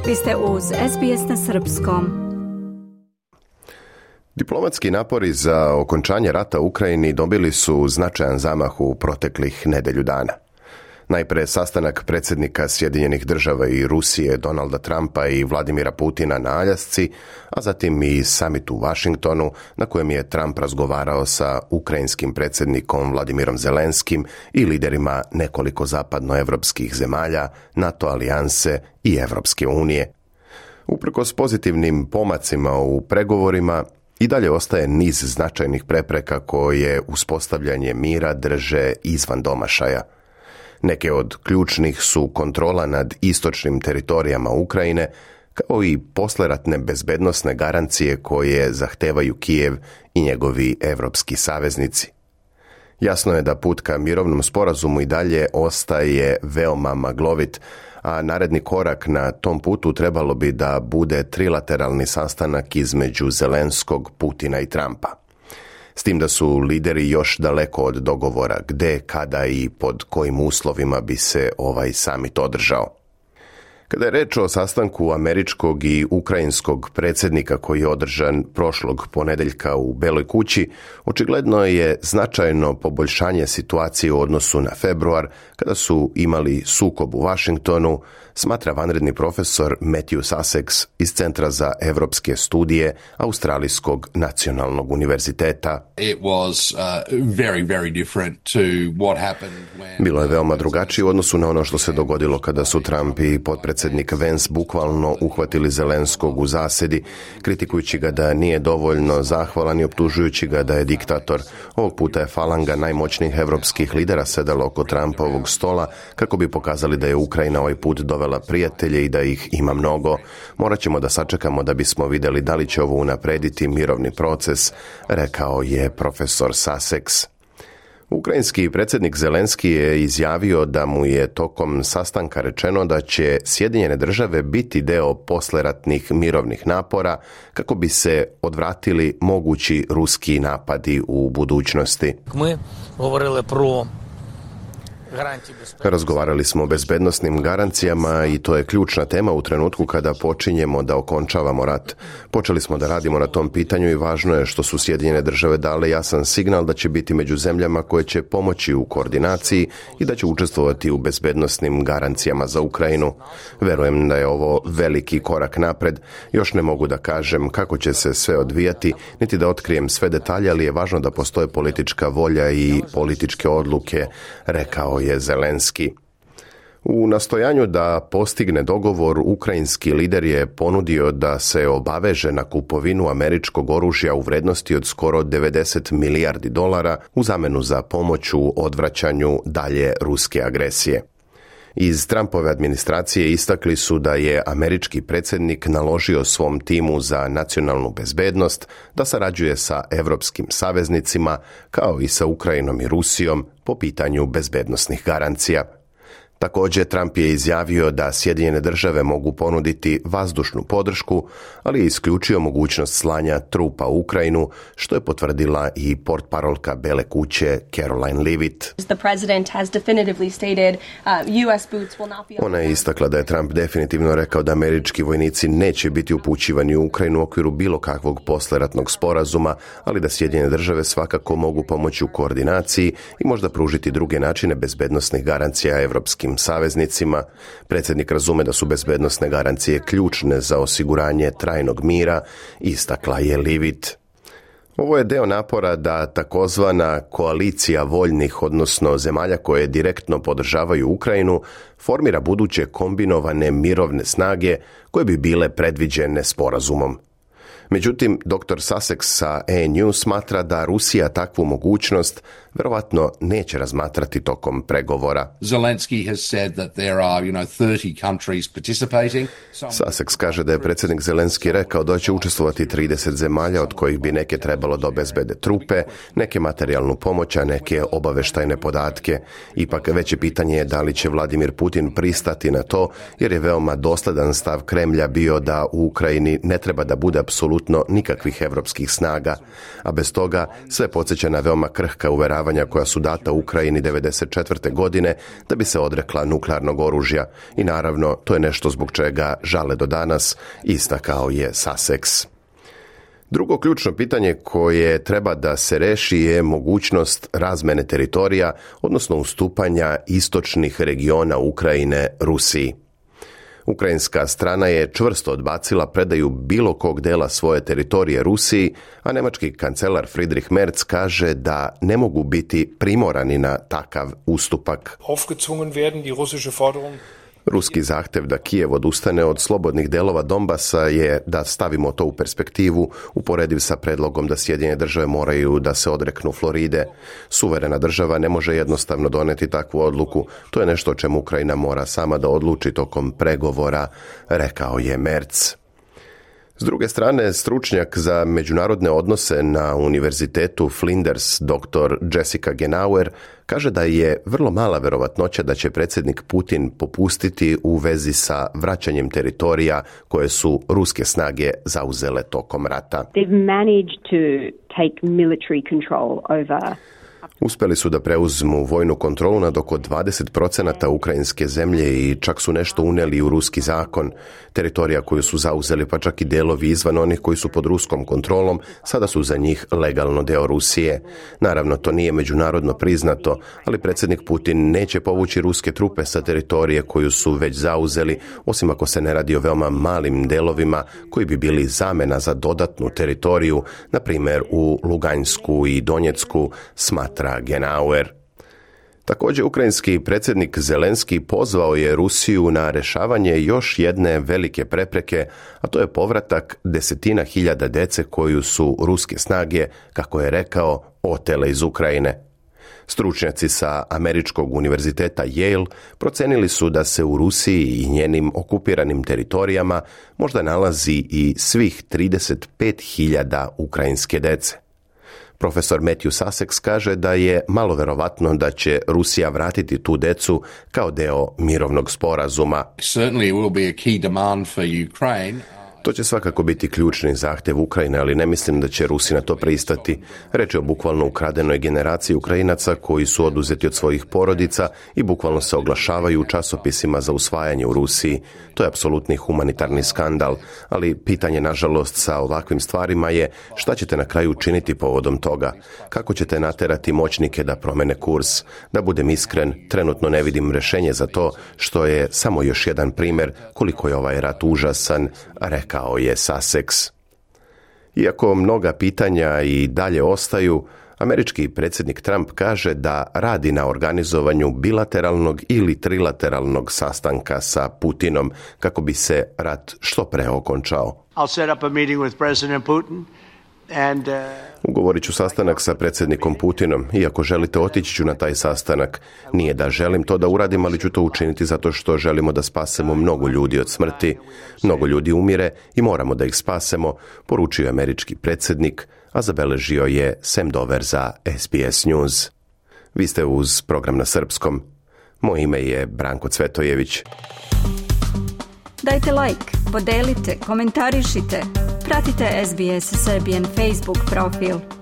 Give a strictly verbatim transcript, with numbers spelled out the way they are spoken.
Vi ste uz S B S na srpskom. Diplomatski napori za okončanje rata u Ukrajini dobili su značajan zamah u proteklih nedelju dana. Najprije sastanak predsjednika Sjedinjenih država i Rusije Donalda Trumpa i Vladimira Putina na Aljasci, a zatim i summit u Washingtonu na kojem je Trump razgovarao sa ukrajinskim predsjednikom Vladimirom Zelenskim i liderima nekoliko zapadnoevropskih zemalja, NATO alijanse i Evropske unije. Uprkos pozitivnim pomacima u pregovorima, i dalje ostaje niz značajnih prepreka koje uspostavljanje mira drže izvan domašaja. Neke od ključnih su kontrola nad istočnim teritorijama Ukrajine, kao i posleratne bezbednosne garancije koje zahtevaju Kijev i njegovi evropski saveznici. Jasno je da put ka mirovnom sporazumu i dalje ostaje veoma maglovit, a naredni korak na tom putu trebalo bi da bude trilateralni sastanak između Zelenskog, Putina i Trumpa. S tim da su lideri još daleko od dogovora gde, kada i pod kojim uslovima bi se ovaj samit održao. Kada je reč o sastanku američkog i ukrajinskog predsjednika koji je održan prošlog ponedeljka u Beloj kući, očigledno je značajno poboljšanje situacije u odnosu na februar, kada su imali sukob u Washingtonu, smatra vanredni profesor Matthew Sussex iz Centra za evropske studije Australijskog nacionalnog univerziteta. It was uh, very, very different to what happened when... Bilo je veoma drugačije u odnosu na ono što se dogodilo kada su Trump i potpredsjednik Vance bukvalno uhvatili Zelenskog u zasedi, kritikujući ga da nije dovoljno zahvalan i optužujući ga da je diktator. Ovog puta je falanga najmoćnijih evropskih lidera sedala oko Trumpovog stola kako bi pokazali da je Ukrajina ovaj put dovela prijatelje i da ih ima mnogo. Morat ćemo da sačekamo da bismo vidjeli da li će ovo unaprediti mirovni proces, rekao je profesor Sussex. Ukrajinski predsjednik Zelenski je izjavio da mu je tokom sastanka rečeno da će Sjedinjene države biti deo posleratnih mirovnih napora kako bi se odvratili mogući ruski napadi u budućnosti. Mi govorili pro Razgovarali smo o bezbednosnim garancijama i to je ključna tema u trenutku kada počinjemo da okončavamo rat. Počeli smo da radimo na tom pitanju i važno je što su Sjedinjene države dale jasan signal da će biti među zemljama koje će pomoći u koordinaciji i da će učestvovati u bezbednosnim garancijama za Ukrajinu. Verujem da je ovo veliki korak napred. Još ne mogu da kažem kako će se sve odvijati, niti da otkrijem sve detalje, ali je važno da postoje politička volja i političke odluke, rekao je Zelenski. U nastojanju da postigne dogovor, ukrajinski lider je ponudio da se obaveže na kupovinu američkog oružja u vrednosti od skoro devedeset milijardi dolara u zamenu za pomoć u odvraćanju dalje ruske agresije. Iz Trumpove administracije istakli su da je američki predsjednik naložio svom timu za nacionalnu bezbednost da sarađuje sa evropskim saveznicima kao i sa Ukrajinom i Rusijom po pitanju bezbednosnih garancija. Također, Trump je izjavio da Sjedinjene države mogu ponuditi vazdušnu podršku, ali je isključio mogućnost slanja trupa u Ukrajinu, što je potvrdila i portparolka Bele kuće Caroline Leavitt. Ona je istakla da je Trump definitivno rekao da američki vojnici neće biti upućivani u Ukrajinu u okviru bilo kakvog posleratnog sporazuma, ali da Sjedinjene države svakako mogu pomoći u koordinaciji i možda pružiti druge načine bezbednosnih garancija evropskim saveznicima. Predsjednik razume da su bezbednosne garancije ključne za osiguranje trajnog mira, istakla je Leavitt. Ovo je deo napora da takozvana koalicija voljnih, odnosno zemalja koje direktno podržavaju Ukrajinu, formira buduće kombinovane mirovne snage koje bi bile predviđene sporazumom. Međutim, doktor Sussex sa A N U smatra da Rusija takvu mogućnost verovatno neće razmatrati tokom pregovora. Zelensky has said that there are, you know, thirty countries participating. Sussex kaže da je predsjednik Zelenski rekao da će učestvovati trideset zemalja, od kojih bi neke trebalo da obezbede trupe, neke materijalnu pomoć, a neke obaveštajne podatke. Ipak veće pitanje je da li će Vladimir Putin pristati na to, jer je veoma dosledan stav Kremlja bio da u Ukrajini ne treba da bude apsolutno nikakvih evropskih snaga, a bez toga sve podsjeća na veoma krhka uveravanja uvjeravanja koja su data Ukrajini devedeset četvrte godine da bi se odrekla nuklearnog oružja i naravno to je nešto zbog čega žale do danas, istakao je Sussex. Drugo ključno pitanje koje treba da se reši je mogućnost razmene teritorija, odnosno ustupanja istočnih regiona Ukrajine Rusiji. Ukrajinska strana je čvrsto odbacila predaju bilo kog dela svoje teritorije Rusiji, a nemački kancelar Friedrich Merz kaže da ne mogu biti primorani na takav ustupak. Aufgezwungen werden die russische Forderung. Ruski zahtjev da Kijev odustane od slobodnih delova Donbasa je, da stavimo to u perspektivu, uporediv sa predlogom da Sjedinjene države moraju da se odreknu Floride. Suverena država ne može jednostavno doneti takvu odluku. To je nešto o čemu Ukrajina mora sama da odluči tokom pregovora, rekao je Merz. S druge strane, stručnjak za međunarodne odnose na univerzitetu Flinders, doktor Jessica Genauer, kaže da je vrlo mala verovatnoća da će predsjednik Putin popustiti u vezi sa vraćanjem teritorija koje su ruske snage zauzele tokom rata. They've managed to take military control over Uspjeli su da preuzmu vojnu kontrolu nad oko dvadeset procenata ukrajinske zemlje i čak su nešto unijeli u ruski zakon. Teritorija koju su zauzeli, pa čak i delovi izvan onih koji su pod ruskom kontrolom, sada su za njih legalno deo Rusije. Naravno, to nije međunarodno priznato, ali predsjednik Putin neće povući ruske trupe sa teritorije koju su već zauzeli, osim ako se ne radi o veoma malim delovima koji bi bili zamena za dodatnu teritoriju, na primjer u Luganjsku i Donjecku, smatra Genauer. Također, ukrajinski predsjednik Zelenski pozvao je Rusiju na rješavanje još jedne velike prepreke, a to je povratak desetina hiljada dece koju su ruske snage, kako je rekao, otele iz Ukrajine. Stručnjaci sa Američkog univerziteta Yale procenili su da se u Rusiji i njenim okupiranim teritorijama možda nalazi i svih trideset pet hiljada ukrajinske dece. Profesor Matthew Sussex kaže da je malo verovatno da će Rusija vratiti tu decu kao deo mirovnog sporazuma. Certainly will be a key demand for Ukraine. To će svakako biti ključni zahtjev Ukrajine, ali ne mislim da će Rusi na to pristati. Reč je o bukvalno ukradenoj generaciji Ukrajinaca koji su oduzeti od svojih porodica i bukvalno se oglašavaju u časopisima za usvajanje u Rusiji. To je apsolutni humanitarni skandal, ali pitanje, nažalost, sa ovakvim stvarima je šta ćete na kraju učiniti povodom toga? Kako ćete naterati moćnike da promene kurs? Da budem iskren, trenutno ne vidim rješenje za to, što je samo još jedan primjer koliko je ovaj rat užasan, rekao je Sussex. Iako mnoga pitanja i dalje ostaju, američki predsjednik Trump kaže da radi na organizovanju bilateralnog ili trilateralnog sastanka sa Putinom kako bi se rat što pre okončao. I'll set up a meeting with President Putin. And, uh... Ugovorit ću sastanak sa predsjednikom Putinom. Iako želite, otići ću na taj sastanak. Nije da želim to da uradim, ali ću to učiniti zato što želimo da spasemo mnogo ljudi od smrti. Mnogo ljudi umire i moramo da ih spasemo, poručio je američki predsjednik, a zabeležio je Sam Dover za S B S News. Vi ste uz program na srpskom. Moje ime je Branko Cvetojević. Dajte like, podelite, komentarišite. Pratite S B S Serbian Facebook profil.